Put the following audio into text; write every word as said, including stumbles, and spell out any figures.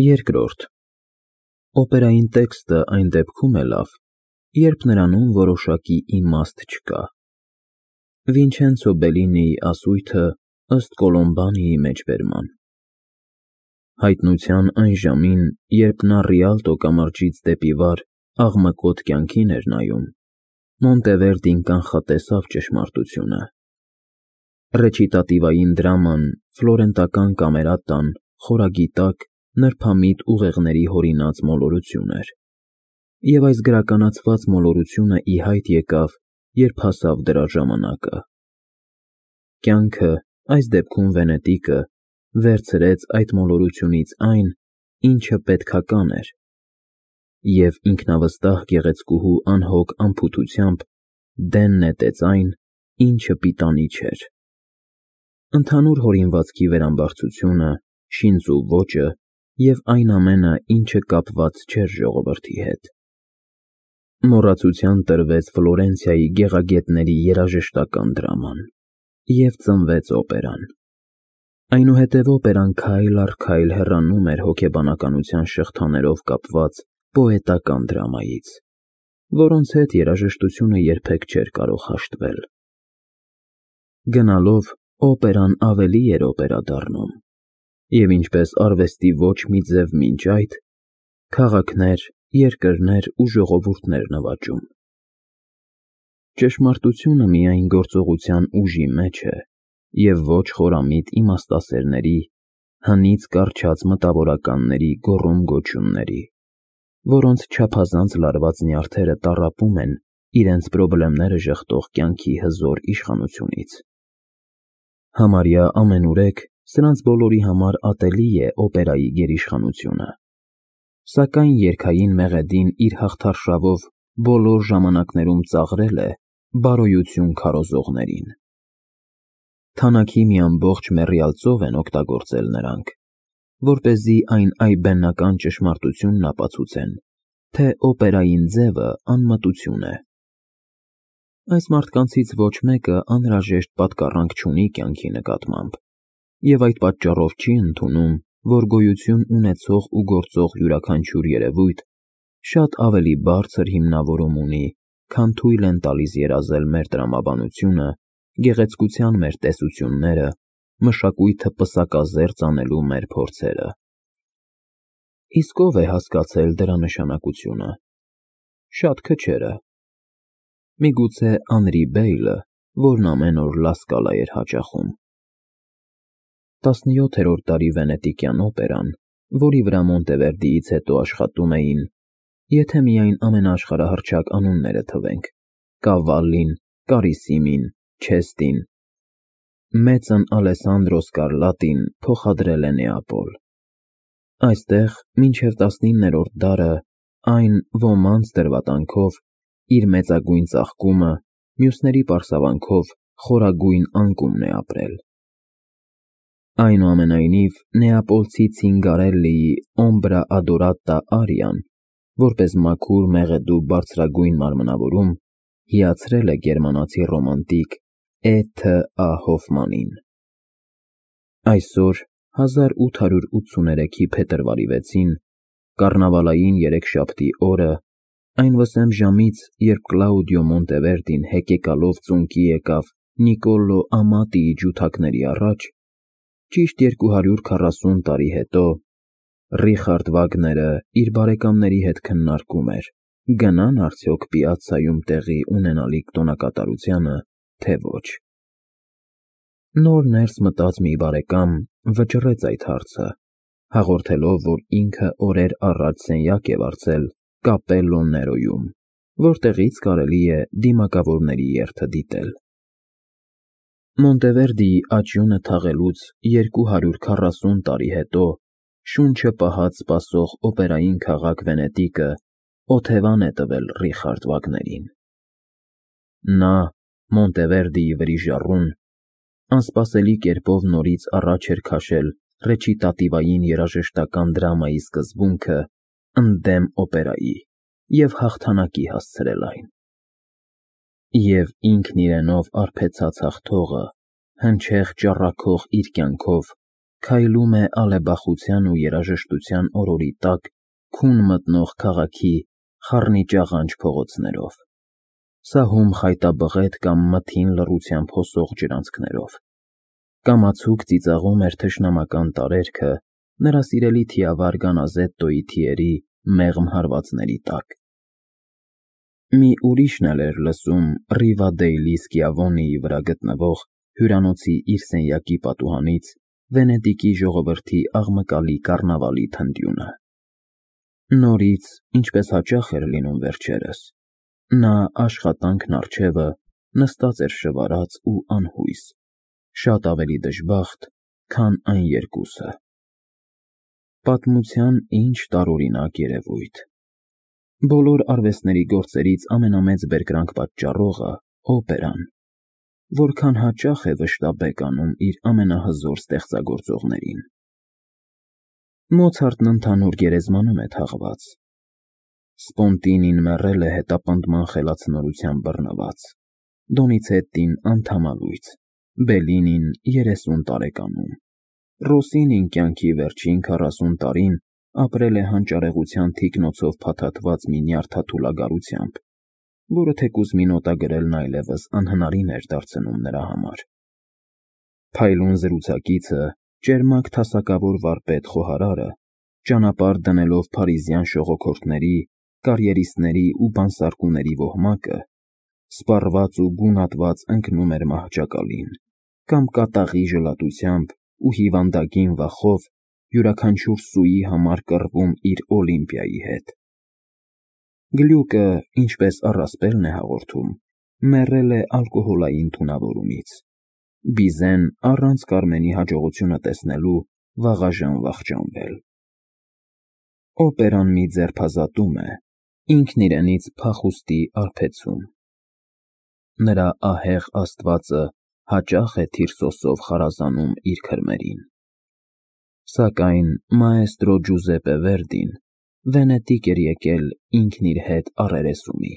Երկրորդ. Օպերային տեքստը այն դեպքում է լավ, երբ նրանում որոշակի իմաստ չկա։ Վինչենցո Բելլինիի ասույթը ըստ Կոլոմբանիի մեջբերման։ Հայտնության այն ժամին, երբ նա Ռիալտո կամրջից դեպի վար աղմկոտ կյանքին էր նայում, Մոնտևերդին կանխատեսավ ճշմարտությունը։ Ռեչիտատիվային դրաման, ֆլորենտական կամերատան, խորագիտակ, նրբամիտ ուղեղների հորինած մոլորություն էր։ Եվ այս գրականացված մոլորությունը ի հայտ եկավ, երբ հասավ դրա ժամանակը։ Կյանքը, այս դեպքում Վենետիկը, վերցրեց այդ մոլորությունից այն, ինչը պետքական էր, և ինքնավստահ գեղեցկուհու անհոգ անփութությամբ դեն նետեց այն, ինչը պիտանի չէր։ Ընդհանուր հորինվածքի վերամբարձությունը, շինծու ոճը և այն ամենը, ինչը կապված չէր ժողովրդի հետ։ Մոռացության տրվեց Ֆլորենցիայի գեղագետների երաժշտական դրաման, և ծնվեց օպերան։ Այնուհետև օպերան քայլ առ քայլ հեռանում էր հոգեբանականության շղթաներով կապված պոետական դրամայից, որոնց հետ երաժշտությունը երբեք չէր կարող հաշտվել։ Գնալով, օպերան ավելի էր օպերա դառնում, և ինչպես արվեստի ոչ մի ձև մինչ այդ, քաղաքներ, երկրներ ու ժողովուրդներ նվաճում։ Ճշմարտությունը միայն գործողության ուժի մեջ է և ոչ խորամիտ իմաստասերների, հնից կառչած մտավորականների գոռում֊գոչյունների, որոնց չափազանց լարված նյարդերը տառապում են իրենց պրոբլեմները ժխտող կյանքի հզոր իշխանությունից։ Համարյա ամենուրեք սրանց բոլորի համար ատելի է օպերայի գերիշխանությունը, սակայն երգային մեղեդին իր հաղթարշավով բոլոր ժամանակներում ծաղրել է բարոյություն քարոզողներին։ Թանաքի մի ամբողջ մեռյալ ծով են օգտագործել նրանք, որպեսզի այն այբբենական ճշմարտությունն ապացուցեն, թե օպերային ձևը անմտություն է։ Այս մարդկանցից ոչ մեկը անհրաժեշտ պատկառանք չունի կյանքի նկատմամբ, և այդ պատճառով չի ընդունում, որ գոյություն ունեցող ու գործող յուրաքանչյուր երևույթ շատ ավելի բարձր հիմնավորում ունի, քան թույլ են տալիս երազել մեր տրամաբանությունը, գեղեցկության մեր տեսությունները, մշակույթը պսակազերծ անելու մեր փորձերը։ Իսկ ո՞վ է հասկացել դրա նշանակությունը։ Շատ քչերը։ Միգուցե Անրի Բեյլը, որն ամեն օր Լասկալա էր հաճախում։ Տասնյոթերորդ դարի վենետիկյան օպերան, որի վրա Մոնտևերդիից հետո աշխատում էին, եթե միայն ամենաաշխարհահռչակ անունները թվենք, Կավալլին, Կարիսիմին, Չեստին, մեծն Ալեսանդրո Սկարլատին փոխադրել է Նեապոլ։ Այստեղ մինչև տասնիններորդ դարը այն ոմանց դրվատանքով իր մեծագույն ծաղկումը, մյուսների պարսավանքով խորագույն անկումն է ապրել։ Այնուամենայնիվ, նեապոլցի Ցինգարելլիի Օմբրա ադորատա արիան, որպես մաքուր մեղեդու բարձրագույն մարմնավորում, հիացրել է գերմանացի ռոմանտիկ Է. Թ. Ա. Հոֆմանին։ Այսօր, հազար ութ հարյուր ութսուներեքի փետրվարի վեցին, կառնավալային երեքշաբթի օրը, այն վսեմ ժամից, երբ Կլաուդիո Մոնտևերդին հեկեկալով ծունկի եկավ Նիկոլո Ամատիի ջութակների առաջ, ճիշտ երկու հարյուր քառասուն տարի հետո, Ռիխարդ Վագները իր բարեկամների հետ քննարկում էր՝ գնա՞ն արդյոք Պիացցայում տեղի ունենալիք տոնակատարությանը, թե ոչ։ Նոր ներս մտած մի բարեկամ վճռեց այդ հարցը, հաղորդելով, որ ինքը օրեր առաջ սենյակ է վարձել Կապելլո Ներոյում, որտեղից կարելի է դիմակավորների երթը դիտել։ Մոնտևերդիի աճյունը թաղելուց երկու հարյուր քառասուն տարի հետո շունչը պահած սպասող օպերային քաղաք Վենետիկը օթևան է տվել Ռիխարդ Վագներին։ Նա, Մոնտևերդիի վրիժառուն, անսպասելի կերպով նորից առաջ էր քաշել ռեչիտատիվային երաժշտական դրամայի սկզբունքը ընդդեմ օպերայի և հաղթանակի հասցրել այն։ Եվ ինքն իրենով արբեցած հաղթողը, հնչեղ ճառագող իր կյանքով, քայլում է ալեբախության ու երաժշտության օրորի տակ քուն մտնող քաղաքի խառնիճաղանճ փողոցներով, սահում խայտաբղետ կամ մթին լռությամբ հոսող ջրանցքներով, կամացուկ ծիծաղում էր թշնամական տարերքը նրա սիրելի թիավար գանազետտոյի թիերի մեղմ հարվածների տակ։ Մի ուրիշն էլ էր լսում Ռիվադեյլի Սկիավոնիի վրա գտնվող հյուրանոցի իր սենյակի պատուհանից Վենետիկի ժողովրդի աղմկալի կառնավալի թնդյունը։ Նորից, ինչպես հաճախ էր լինում վերջերս, նա աշխատանքն առջևը նստած էր շվարած ու անհույս, շատ ավելի դժբախտ, քան այն երկուսը։ Պատմության ինչ տարօրինակ երևույթ։ Բոլոր արվեստների գործերից ամենամեծ բերկրանք պատճառողը օպերան, որքան հաճախ է վշտաբեկ անում իր ամենահզոր ստեղծագործողներին։ Մոցարտն ընդհանուր գերեզմանում է թաղված։ Սպոնտինին մեռել է հետապնդման խելացնորությամբ բռնված, Դոնիցետտին անդամալույց, Բելլինին երեսուն տարեկանում, Ռոսինին կյանքի վերջին քառասուն տարին ապրել է հանճարեղության թիկնոցով փաթաթված մի նյարդաթուլագարությամբ, որը թեկուզ մի նոտա գրելն այլևս անհնարին էր դարձնում նրա համար։ Փայլուն զրուցակիցը, ճերմակ թասակավոր վարպետ խոհարարը, ճանապարհ դնելով փարիզյան շողոքորթների, կարիերիստների ու բանսարկուների ոհմակը, սպառված ու գունատված ընկնում էր մահճակալին, կամ կատաղի ժլատությամբ ու հիվանդագին վախով յուրաքանչյուր սուի համար կռվում իր Օլիմպիայի հետ։ Գլյուկը, ինչպես առասպելն է հաղորդում, մեռել է ալկոհոլային թունավորումից, Բիզեն առանց Կարմենի հաջողությունը տեսնելու վաղաժամ վախճանվել։ Օպերան մի ձերբազատում է, ինքն իրենից փախուստի արբեցում։ Նրա ահեղ աստվածը հաճախ է Թիրսոսով խարազանում իր քրմերին։ Սակայն մաեստրո Ջուզեպպե Վերդին Վենետիկ էր եկել ինքն իր հետ առերեսումի։